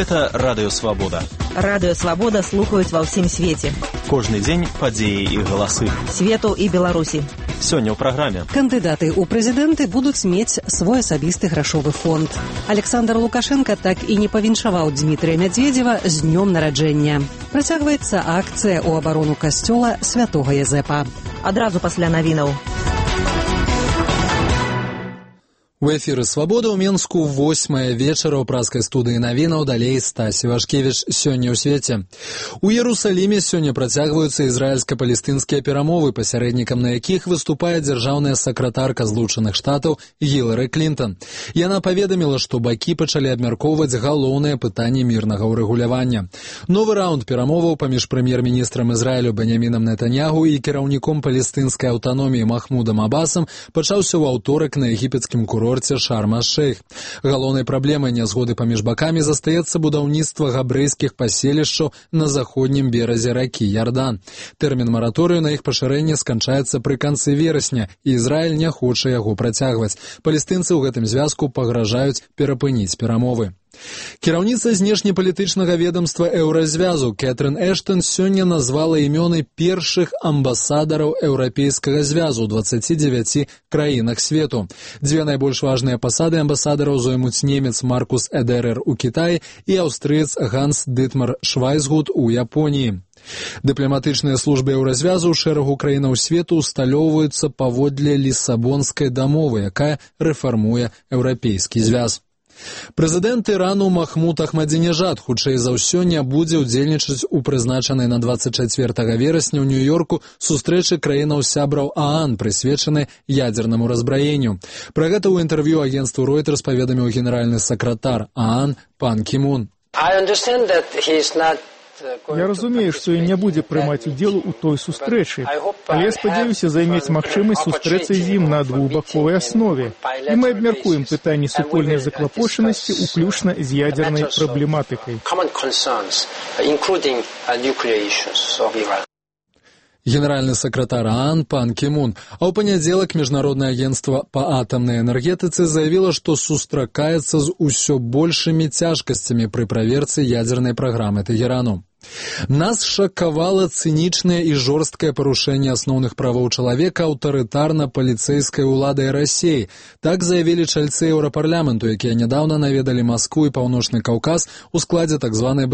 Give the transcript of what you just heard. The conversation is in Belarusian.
Гэта Радыё Свабода. Радыё Свабода слухаюць ва ўсім свеце. Кожны дзень падзеі і галасы. Свету і Беларусі. Сёння ў праграме. Кандыдаты ў прэзідэнты будуць мець свой асабісты грашовы фонд. Александр Лукашенко так і не павіншаваў Дмітрия Медведева з днём нараджэння. Працягваецца акцыя ў абарону касцёла святога Язэпа. Адразу пасля навінаў. У эфіры «Свабода» ў Менску 8 вечара ў праскай студыі навінаў, далей Стасі Вашкевіч. Сёння ў свеце. У Иерусалиме сёння працягваюцца ізраільска-палестынскія перамовы, пасярэднікам на якіх выступае дзяржаўная сакратарка Злучаных Штатаў Гілары Клінтон. Яна паведаміла, што бакі пачалі абмяркоўваць галоўныя пытанні мірнага ўрэгулявання. Новы раунд перамоваў паміж прэм'ер-міністрам Ізраілю Беньямінам Нетаньяху і кіраўніком палестынскай аўтаноміі Махмудам Абасам пачаўся ў аўторак на егіпецкім курорце Шарм-аш-Шейх. Галоўнай праблемай нязгоды паміж бакамі застаецца будаўніцтва габрэйскіх паселішчаў на заходнім беразе ракі Ярдан. Тэрмін мараторыю на іх пашырэнне сканчаецца пры канцы верасня, і Ізраіль не хоча яго працягваць. Палестынцы ў гэтым звязку пагражаюць перапыніць перамовы. Кіраўніца знешнепалітычнага ведомства Еўразвязу Кэтрын Эштон сёння назвала імёны першых амбасадараў Еўрапейскага звязу ў 29 краінах свету. Дзве найбольш важныя пасады амбасадараў зоймуць немец Маркус Эдерер у Кітаі і аўстрыец Ганс Дытмар Швайцгут у Японіі. Дыпламатычныя службы Еўразвязу ў шэрагу краінаў свету усталёўваюцца паводле Лісабонскай дамовы, якая рэфармуе Еўрапейскі звяз. Прэзідэнт Ірану Махмуд Ахмадзінежад хутчэй за ўсё не будзе ўдзельнічаць у прызначанай на 24 верасня ў Нью-Йорку сустрэчы краінаў-сябраў ААН, прысвечанай ядзернаму разбраенню. Пра гэта ў інтэрв'ю агенцтву Reuters паведаміў генеральны сакратар ААН Пан Кі Мун. Я разумею, што ён не будзе прымаць удзел у той сустрэчы, але я спадзяюся займець магчымасць сустрэцца з ім на двухбаковай аснове. І мы абмяркуем пытанні супольнай заклапочанасці, уключна з ядзернай праблематыкай. Генеральны сакратар ААН Пан Кі Мун. А ў панядзелак Міжнароднае агенцтва па атамнай энергетыцы заявіла, што сустракаецца з усё большымі цяжкасцямі пры праверцы ядзернай праграмы Тэгерану. Нас шакавала цынічнае і жорсткае парушэнне асноўных правоў чалавека аўтарытарна-паліцэйскай уладай Расіі. Так заявілі чальцы Еўрапарламенту, якія нядаўна наведалі Маскву і Паўночны Каўказ у складзе так званай